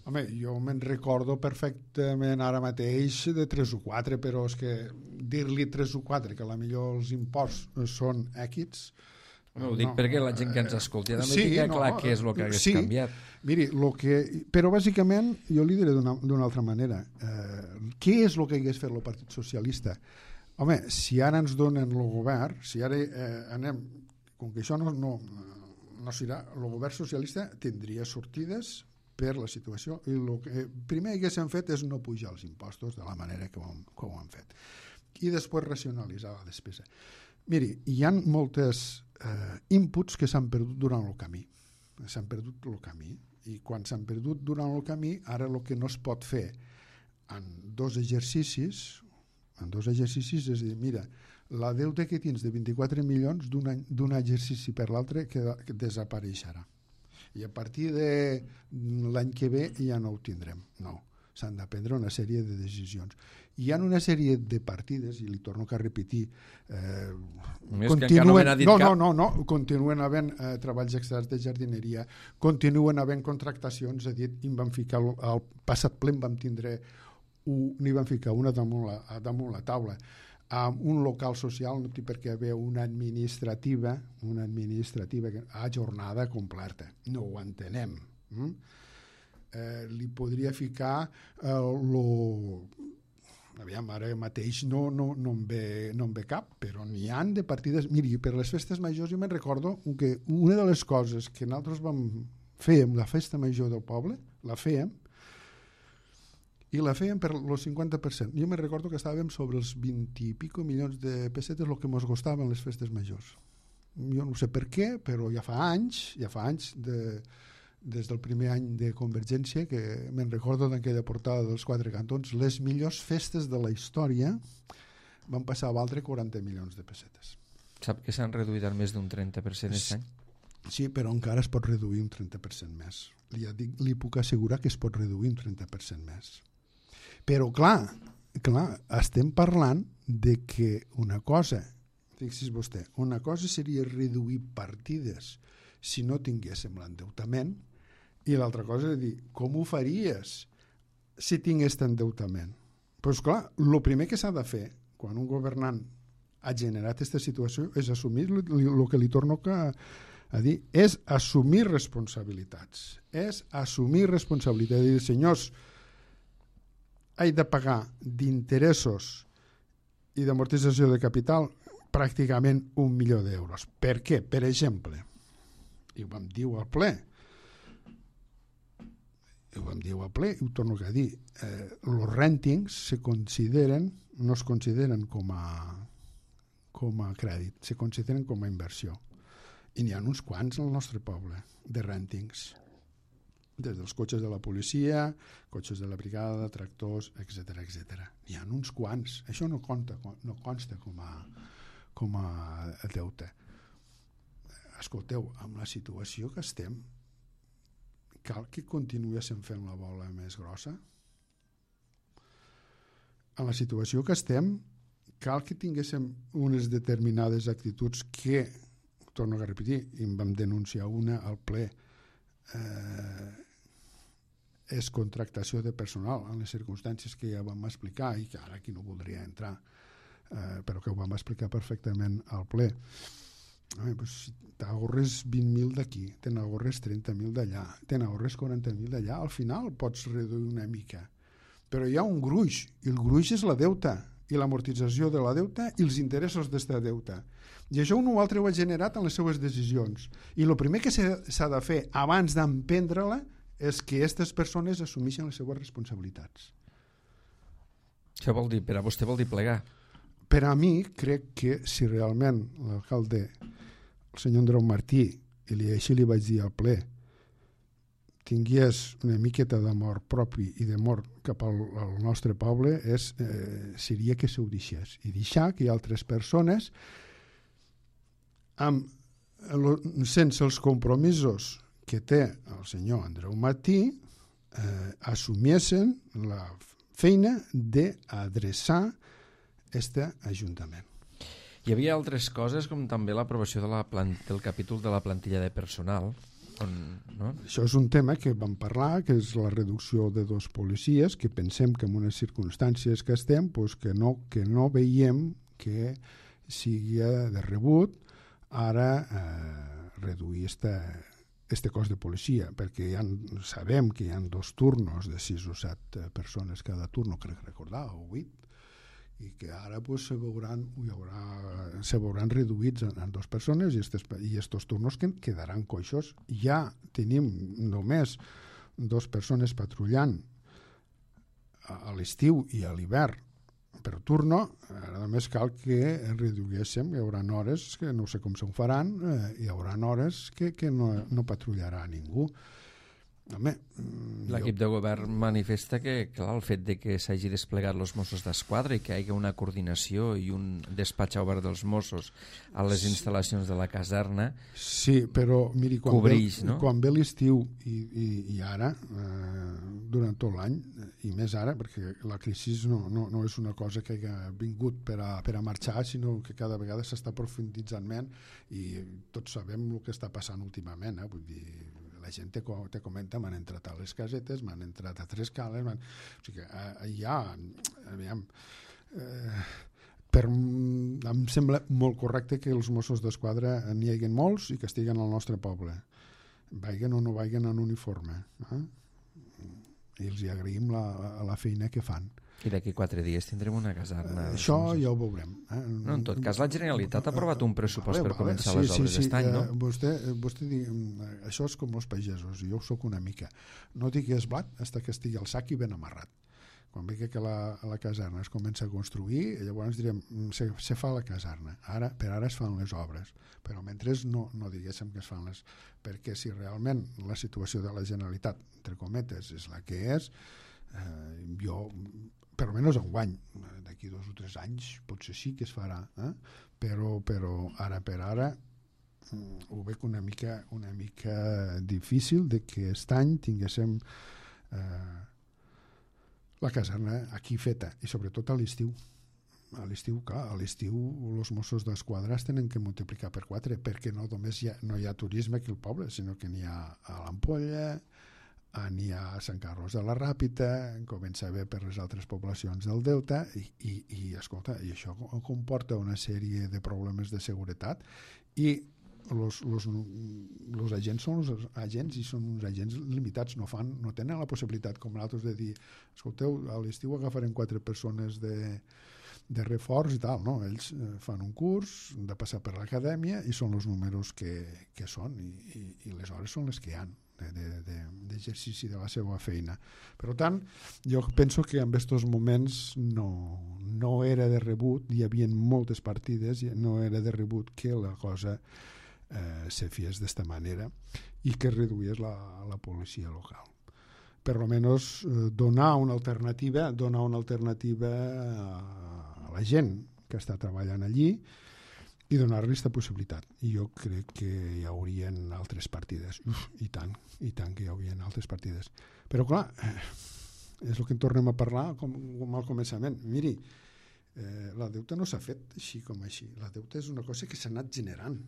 Home, jo me'n recordo perfectament ara mateix de 3 o 4, però és que dir-li 3 o 4, que potser els imports són èquids... Ho dic perquè la gent que ens escolti també tinga clar què és el que hagués canviat. Miri, però bàsicament jo li diré d'una altra manera. Què és el que hagués fet el Partit Socialista? Home, si ara ens donen el govern, si ara anem, com que això no serà, el govern socialista tindria sortides per la situació, i el que primer haguessin fet és no pujar els impostos de la manera que ho han fet, i després racionalitzar la despesa. Miri, hi ha moltes inputs que s'han perdut durant el camí. I quan s'han perdut durant el camí, ara el que no es pot fer en dos exercicis, és a dir, mira, la deute que tens de 24 milions d'un exercici per l'altre que desapareixerà. I a partir de l'any que ve ja no ho tindrem. No, s'han de prendre una sèrie de decisions. Hi ha una sèrie de partides, i li torno a repetir, continuen havent treballs externs de jardineria, continuen havent contractacions, em van ficar al passat ple, n'hi van ficar una damunt la taula, amb un local social, no té per què haver una administrativa a jornada completa. No ho entenem. Li podria ficar aviam, ara mateix no em ve cap, però n'hi ha de partides. Miri, per les festes majors jo me'n recordo que una de les coses que nosaltres vam fer amb la festa major del poble, la fèiem per el 50%. Jo me'n recordo que estàvem sobre els 20 i pico milions de pessetes el que ens costaven les festes majors. Jo no sé per què, però ja fa anys des del primer any de Convergència, que me'n recordo d'aquella portada dels 4 cantons, les millors festes de la història van passar a valdre 40 milions de pessetes. Sap que s'han reduït al més d'un 30% aquest any? Sí, però encara es pot reduir un 30% més. Li puc assegurar que es pot reduir un 30% més. Però clar, estem parlant de que una cosa, fixi's vostè, una cosa seria reduir partides si no tinguéssim l'endeutament, i l'altra cosa és dir, com ho faries si tingués endeutament? Doncs clar, el primer que s'ha de fer quan un governant ha generat aquesta situació és assumir el que li torno a dir, és assumir responsabilitats. És dir, senyors, he de pagar d'interessos i d'amortització de capital pràcticament 1 milió d'euros. Per què? Per exemple, i ho vam dir al ple, ho vam dir al ple, i ho torno a dir, els rèntings no es consideren com a crèdit, se consideren com a inversió. I n'hi ha uns quants al nostre poble, de rèntings. Des dels cotxes de la policia, cotxes de la brigada, tractors, etc. N'hi ha uns quants. Això no consta com a deute. Escolteu, amb la situació que estem, cal que continuéssim fent la bola més grossa? En la situació que estem, cal que tinguéssim unes determinades actituds que, torno a repetir, i en vam denunciar una al ple, és contractació de personal en les circumstàncies que ja vam explicar i que ara aquí no voldria entrar, però que ho vam explicar perfectament al ple. T'ahorres 20.000 d'aquí, te n'ahorres 30.000 d'allà, te n'ahorres 40.000 d'allà, al final pots reduir una mica. Però hi ha un gruix, i el gruix és la deuta, i l'amortització de la deuta i els interessos d'esta deuta. I això un o altre ho ha generat en les seues decisions. I el primer que s'ha de fer abans d'emprendre-la és que aquestes persones assumeixen les seues responsabilitats. Això vol dir, per a vostè vol dir plegar? Per a mi, crec que si realment l'alcalde, el senyor Andreu Martí, i així li vaig dir al ple, tingués una miqueta d'amor propi i d'amor cap al nostre poble, seria que s'ho deixés. I deixar que altres persones, sense els compromisos que té el senyor Andreu Martí, assumiessin la feina d'adreçar aquest ajuntament. Hi havia altres coses, com també l'aprovació del capítol de la plantilla de personal. No? Això és un tema que vam parlar, que és la reducció de 2 policies, que pensem que en unes circumstàncies que estem, pues que no veiem que sigui de rebut ara reduir este cos de policia, perquè sabem que hi ha 2 turnos de 6 o 7 persones cada turno, crec recordar, o 8, i que ara pues, se veuran reduïts en 2 persones i estos turnos quedaran coixos. Ja tenim només 2 persones patrullant a l'estiu i a l'hivern per turno, ara només cal que reduïssim, hi haurà hores que no sé com se'n faran, hi haurà hores que no patrullarà ningú. Home, l'equip de govern manifesta que clar, el fet de que s'hagi desplegat els Mossos d'Esquadra i que hi hagi una coordinació i un despatx obert dels Mossos a les instal·lacions de la caserna, sí, però miri, quan ve l'estiu i ara, durant tot l'any, i més ara, perquè la crisi no és una cosa que hagi vingut per a marxar, sinó que cada vegada s'està profunditzant més i tots sabem el que està passant últimament, vull dir, la gent te comenta, m'han entrat a les casetes, m'han entrat a 3 cales, o sigui que em sembla molt correcte que els Mossos d'Esquadra n'hi hagi molts i que estiguen al nostre poble, vagin o no vagin en uniforme, i els agraïm la feina que fan. I d'aquí 4 dies tindrem una caserna. Això ja ho veurem. No, en tot cas, la Generalitat ha aprovat un pressupost per començar les obres d'estany, no? Vostè diu, això és com els pagesos, i jo soc una mica. No digues blat fins que estigui al sac i ben amarrat. Quan vegi que la caserna es comença a construir, llavors direm, se fa la caserna. Per ara es fan les obres. Però mentre no diguéssim que es fan les... Perquè si realment la situació de la Generalitat, entre cometes, és la que és, jo... per almenys enguany, d'aquí 2 o 3 anys potser sí que es farà, però ara per ara ho veig una mica difícil de que aquest any tinguéssim la caserna aquí feta, i sobretot a l'estiu. A l'estiu, clar, a l'estiu els Mossos d'Esquadra es tenen que multiplicar per 4, perquè no només no hi ha turisme aquí al poble, sinó que n'hi ha a l'Ampolla, n'hi ha a Sant Carlos de la Ràpita, comença a haver per les altres poblacions del Delta, i escolta, i això comporta una sèrie de problemes de seguretat, i els agents són els agents i són uns agents limitats, no tenen la possibilitat com nosaltres de dir, escolteu, a l'estiu agafarem 4 persones de reforç i tal, no? Ells fan un curs, han de passar per l'acadèmia i són els números que són, i les hores són les que hi ha. d'exercici de la seva feina. Per tant, jo penso que en aquests moments no era de rebut, hi havia moltes partides, no era de rebut que la cosa se fes d'esta manera i que reduís la policia local. Per almenys donar una alternativa a la gent que està treballant allí i donar-li aquesta possibilitat. I jo crec que hi haurien altres partides. I tant que hi haurien altres partides. Però clar, és el que en tornem a parlar com al començament. Miri, la deuta no s'ha fet així com així. La deuta és una cosa que s'ha anat generant.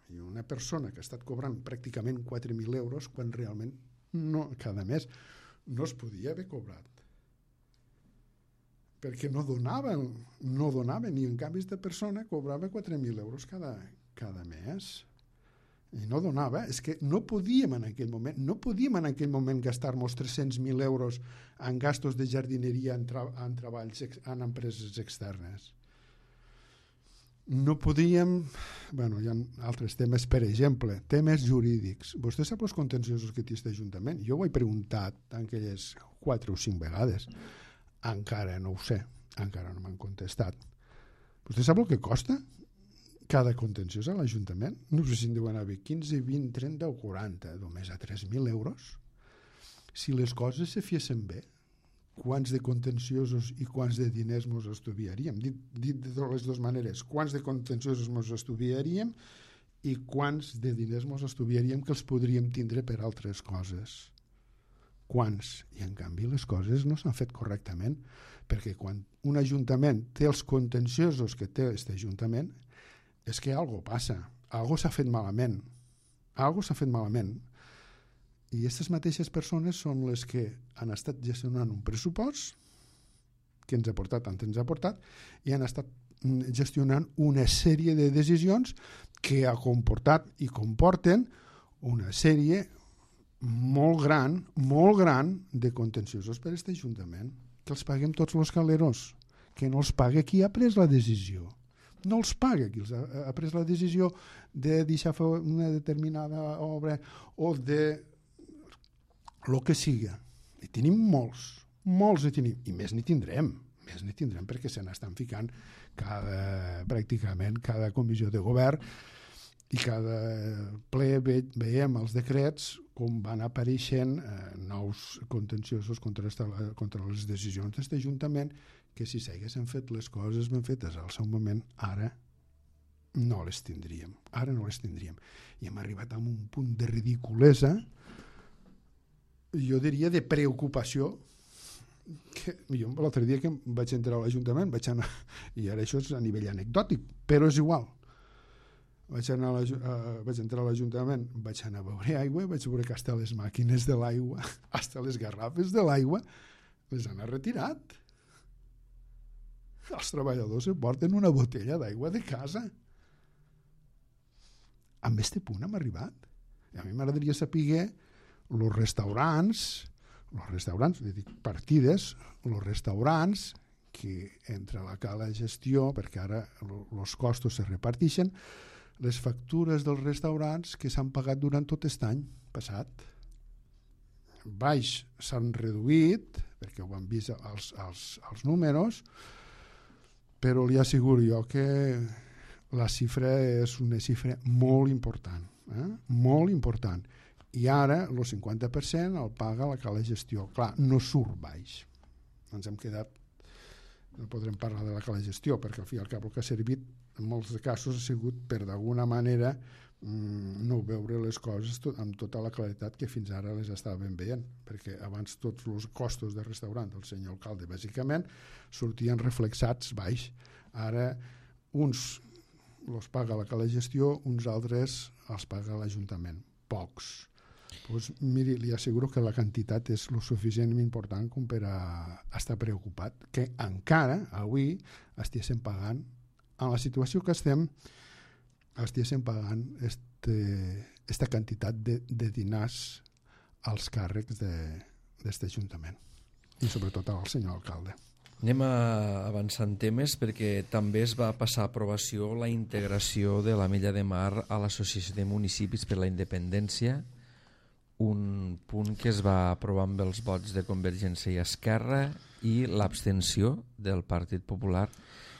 I una persona que ha estat cobrant pràcticament 4.000 euros quan realment cada mes no es podia haver cobrat. Perquè no donaven, i en canvi aquesta persona cobrava 4.000 euros cada mes. I no donava, és que no podíem en aquell moment gastar-nos 300.000 euros en gastos de jardineria en treballs, en empreses externes. No podíem... Hi ha altres temes, per exemple, temes jurídics. Vostè sap els contenciosos que té aquest Ajuntament? Jo ho he preguntat aquelles 4 o 5 vegades. Encara no ho sé, encara no m'han contestat. Vostè sap el que costa cada contenciós a l'Ajuntament? No sé si en deuen haver 15, 20, 30 o 40, només a 3.000 euros. Si les coses se fiessin bé, quants de contenciosos i quants de diners ens estudiaríem? Dit de les dues maneres, quants de contenciosos ens estudiaríem i quants de diners ens estudiaríem que els podríem tindre per altres coses. Quants? I en canvi les coses no s'han fet correctament, perquè quan un ajuntament té els contenciosos que té aquest ajuntament és que alguna passa, alguna s'ha fet malament. I aquestes mateixes persones són les que han estat gestionant un pressupost que ens ha portat tant ens ha portat i han estat gestionant una sèrie de decisions que ha comportat i comporten una sèrie molt gran de contenciosos per a aquest Ajuntament, que els paguem tots els caleros, que no els paga qui ha pres la decisió. No els paga qui ha pres la decisió de deixar fer una determinada obra o de el que siga. I tenim molts hi tenim, i més n'hi tindrem perquè se n'estan ficant pràcticament cada comissió de govern i cada ple veiem els decrets com van apareixent nous contenciosos contra les decisions d'aquest Ajuntament, que si s'haguessin fet les coses ben fetes al seu moment, ara no les tindríem. I hem arribat a un punt de ridiculesa, jo diria de preocupació, que jo l'altre dia que vaig entrar a l'Ajuntament i ara això és a nivell anecdòtic, però és igual, vaig entrar a l'Ajuntament, vaig anar a beure aigua, vaig veure que hasta les màquines de l'aigua, hasta les garrafes de l'aigua les han retirat. Els treballadors se porten una botella d'aigua de casa. A aquest punt hem arribat. I a mi m'agradaria saber els restaurants, partides, els restaurants que entre la cala gestió, perquè ara els costos se reparteixen, les factures dels restaurants que s'han pagat durant tot aquest any passat. Baix s'han reduït, perquè ho han vist els números, però li asseguro jo que la xifra és una xifra molt important, molt important. I ara el 50% el paga la cala gestió. Clar, no surt baix. Ens hem quedat, no podrem parlar de la cala gestió, perquè al fi i al cap el que ha servit en molts casos ha sigut per d'alguna manera no veure les coses amb tota la claritat que fins ara les estàvem veient, perquè abans tots els costos de restaurant del senyor alcalde bàsicament sortien reflexats baix. Ara uns els paga la cala gestió, uns altres els paga l'Ajuntament, pocs. Pues, miri, li asseguro que la quantitat és lo suficientment important com per a estar preocupat, que encara avui estiguéssim pagant, en la situació que estem, estiguéssim pagant aquesta quantitat de diners als càrrecs d'aquest Ajuntament i sobretot al senyor alcalde. Anem avançant temes perquè també es va passar a aprovació la integració de l'Ametlla de Mar a l'Associació de Municipis per la Independència, un punt que es va aprovar amb els vots de Convergència i Esquerra i l'abstenció del Partit Popular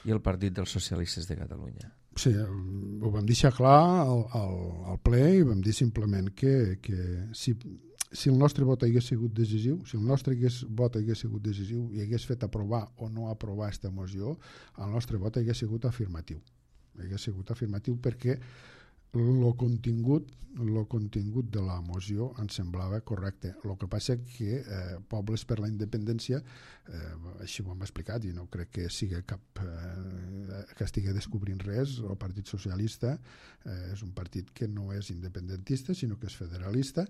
i el Partit dels Socialistes de Catalunya. Sí, ho vam deixar clar al ple i vam dir simplement que si el nostre vot hagués sigut decisiu, si el nostre vot hagués sigut decisiu i hagués fet aprovar o no aprovar aquesta moció, el nostre vot hagués sigut afirmatiu. Hagués sigut afirmatiu perquè el contingut de la moció ens semblava correcte. El que passa que Pobles per la Independència, així ho hem explicat i no crec que sigui que estigui descobrint res, el Partit Socialista és un partit que no és independentista sinó que és federalista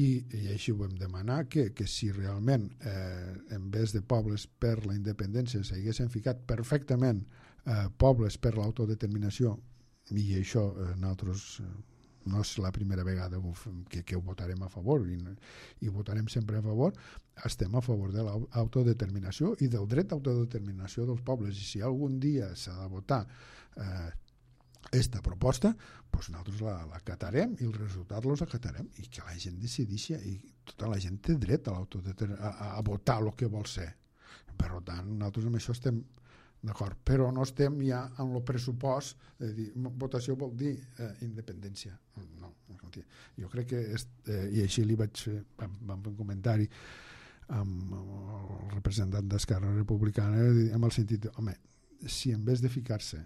i així ho vam demanar que si realment en vez de Pobles per la Independència s'haguessin ficat perfectament Pobles per l'autodeterminació, i això nosaltres no és la primera vegada que ho votarem a favor i votarem sempre a favor, estem a favor de l'autodeterminació i del dret d'autodeterminació dels pobles, i si algun dia s'ha de votar aquesta proposta, doncs nosaltres l'acatarem i els resultats els acatarem i que la gent decideixi, i tota la gent té dret a votar el que vol ser. Per tant, nosaltres amb això estem d'acord, però no estem ja en el pressupost de dir, votació vol dir independència. No, jo crec que i així li vaig fer, vam fer un comentari amb el representant d'Esquerra Republicana amb el sentit, home, si en vez de ficar-se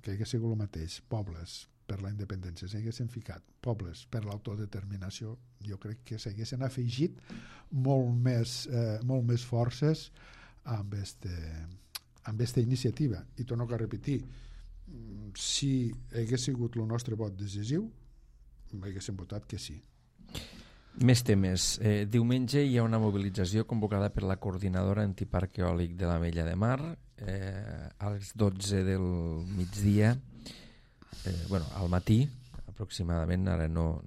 que hagués sigut el mateix, Pobles per la independència, s'haguessin ficat Pobles per l'autodeterminació, jo crec que s'haguessin afegit molt més forces amb aquesta iniciativa. I torno a repetir, si hagués sigut el nostre vot decisiu, haguéssim votat que sí. Més temes. Diumenge hi ha una mobilització convocada per la coordinadora antiparc eòlic de l'Ametlla de Mar a les 12 del migdia, al matí aproximadament, ara no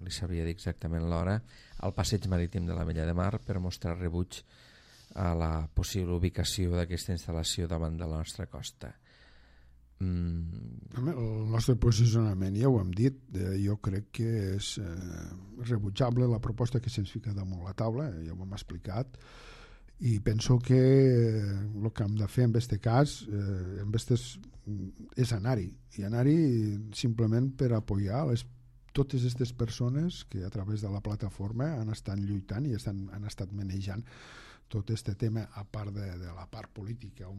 li sabria dir exactament l'hora, al passeig marítim de l'Ametlla de Mar per mostrar rebuig a la possible ubicació d'aquesta instal·lació davant de la nostra costa. El nostre posicionament ja ho hem dit, jo crec que és rebutjable la proposta que se'ns fica damunt la taula, ja ho hem explicat, i penso que el que hem de fer en aquest cas és anar-hi, i anar-hi simplement per apoyar totes aquestes persones que a través de la plataforma han estat lluitant i han estat manejant tot aquest tema, a part de la part política o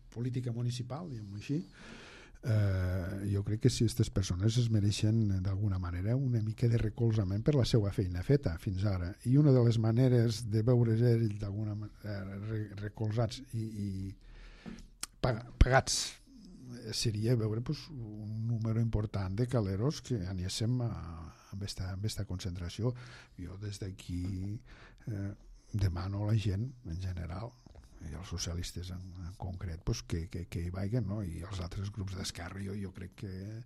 política municipal, diguem-ho així. Jo crec que si aquestes persones es mereixen d'alguna manera una mica de recolzament per la seva feina feta fins ara, i una de les maneres de veure ells d'alguna manera recolzats i pagats seria veure un número important de caleros que anéssem amb aquesta concentració. Jo des d'aquí demano a la gent en general i els socialistes en concret que hi vagin, no? I els altres grups d'Esquerra jo crec que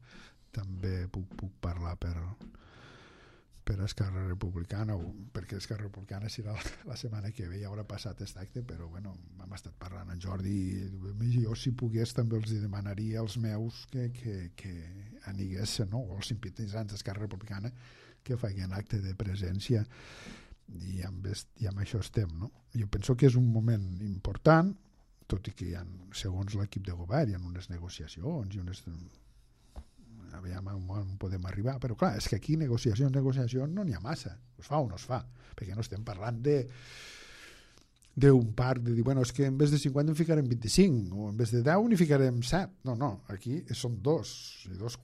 també puc parlar per Esquerra Republicana, perquè Esquerra Republicana serà la setmana que ve, ja haurà passat aquest acte, però bueno, hem estat parlant amb Jordi i jo si pogués també els demanaria als meus que aniguessin, no? O els simpatitzants d'Esquerra Republicana que facin acte de presència, i amb això estem, no? Jo penso que és un moment important, tot i que segons l'equip de govern hi ha unes negociacions i aviam on podem arribar, però clar, és que aquí negociacions no n'hi ha massa, es fa o no es fa, perquè no estem parlant d'un parc de dir, bueno, és que en vez de 50 en ficarem 25, o en vez de 10 n'hi ficarem 7, no, aquí són 2,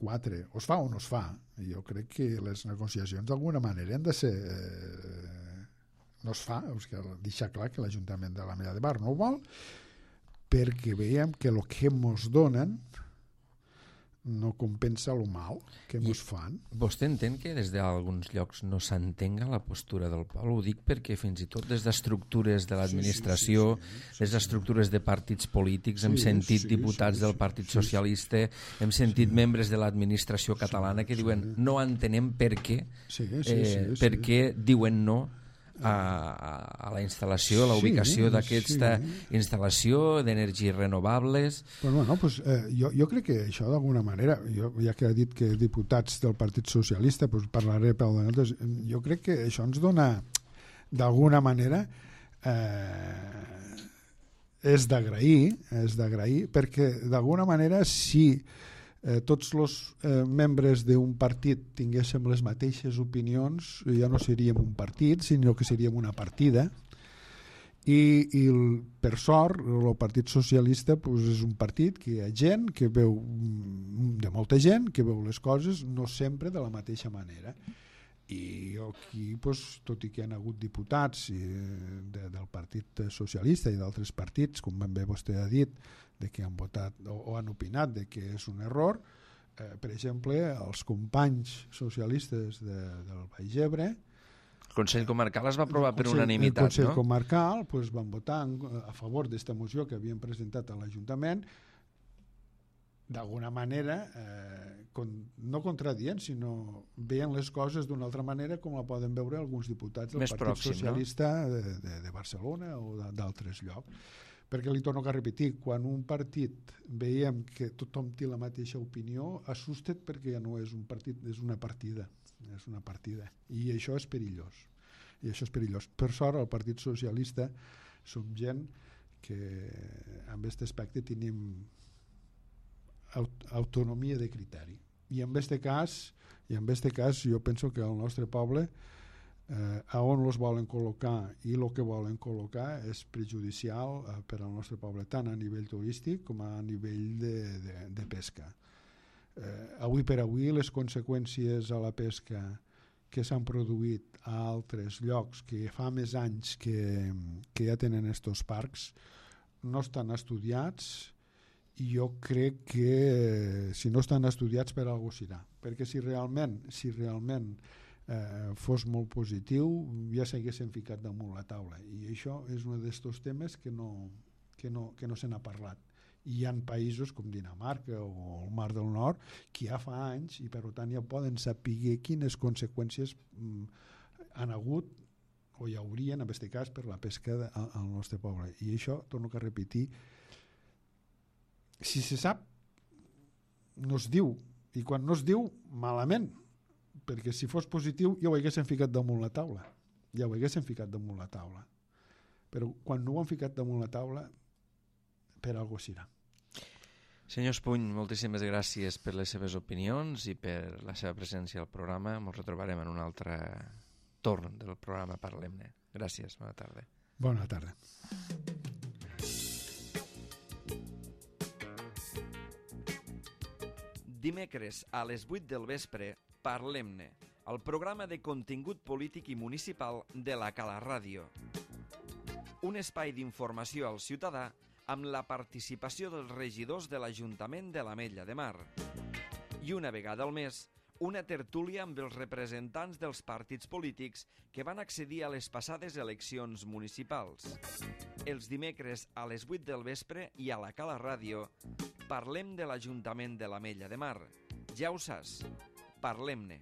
4, o es fa o no es fa, i jo crec que les negociacions d'alguna manera han de ser no es fa, deixar clar que l'Ajuntament de l'Ametlla de Mar no ho vol, perquè veiem que el que ens donen no compensa el mal que ens fan. Vostè entén que des d'alguns llocs no s'entenga la postura del poble? Ho dic perquè fins i tot des d'estructures de l'administració, des d'estructures de partits polítics, hem sentit diputats del Partit Socialista, hem sentit membres de l'administració catalana que diuen no entenem per què diuen no a la instal·lació, a la ubicació d'aquesta instal·lació d'energies renovables. Jo crec que això d'alguna manera, ja que ha dit que diputats del Partit Socialista, parlaré pel de nosaltres, jo crec que això ens dona d'alguna manera és d'agrair, perquè d'alguna manera si tots els membres d'un partit tinguéssim les mateixes opinions, ja no seríem un partit, sinó que seríem una partida, i per sort el Partit Socialista és un partit que hi ha gent que veu, de molta gent que veu les coses no sempre de la mateixa manera, i aquí, tot i que hi ha hagut diputats del Partit Socialista i d'altres partits, com ben bé vostè ha dit, de que han votat o han opinat de que és un error, per exemple, els companys socialistes del Baix Ebre, el Consell Comarcal es va aprovar per unanimitat, no? El Consell Comarcal van votar a favor d'esta moció que havien presentat a l'Ajuntament, d'alguna manera no contradient, sinó veien les coses d'una altra manera com la poden veure alguns diputats del Partit Socialista de Barcelona o d'altres llocs. Perquè li torno a repetir, quan un partit veiem que tothom té la mateixa opinió, assusta't perquè ja no és un partit, és una partida. I això és perillós. Per sort, al Partit Socialista som gent que en aquest aspecte tenim autonomia de criteri. I en aquest cas jo penso que el nostre poble a on els volen col·locar i el que volen col·locar és perjudicial per al nostre poble, tant a nivell turístic com a nivell de pesca. Avui per avui les conseqüències a la pesca que s'han produït a altres llocs que fa més anys que ja tenen estos parcs no estan estudiats, i jo crec que si no estan estudiats per alguna cosa serà, perquè si realment fos molt positiu ja s'haguessin ficat damunt la taula, i això és un d'aquests temes que no se n'ha parlat. I hi ha països com Dinamarca o el Mar del Nord que ja fa anys i per tant ja poden saber quines conseqüències han hagut o hi haurien en aquest cas per la pesca al nostre poble. I això, torno a repetir, si se sap no es diu, i quan no es diu malament, perquè si fos positiu ja ho haguessin ficat damunt la taula, però quan no ho han ficat damunt la taula per alguna cosa serà. Senyor Espuny, moltíssimes gràcies per les seves opinions i per la seva presència al programa. Ens retrobarem en un altre torn del programa Parlem-ne. Gràcies, bona tarda. Bona tarda. Dimecres a les 8 del vespre, Parlem-ne, el programa de contingut polític i municipal de la Cala Ràdio. Un espai d'informació al ciutadà amb la participació dels regidors de l'Ajuntament de l'Ametlla de Mar. I una vegada al mes, una tertúlia amb els representants dels partits polítics que van accedir a les passades eleccions municipals. Els dimecres a les 8 del vespre i a la Cala Ràdio parlem de l'Ajuntament de l'Ametlla de Mar. Ja ho saps, Parlem-ne.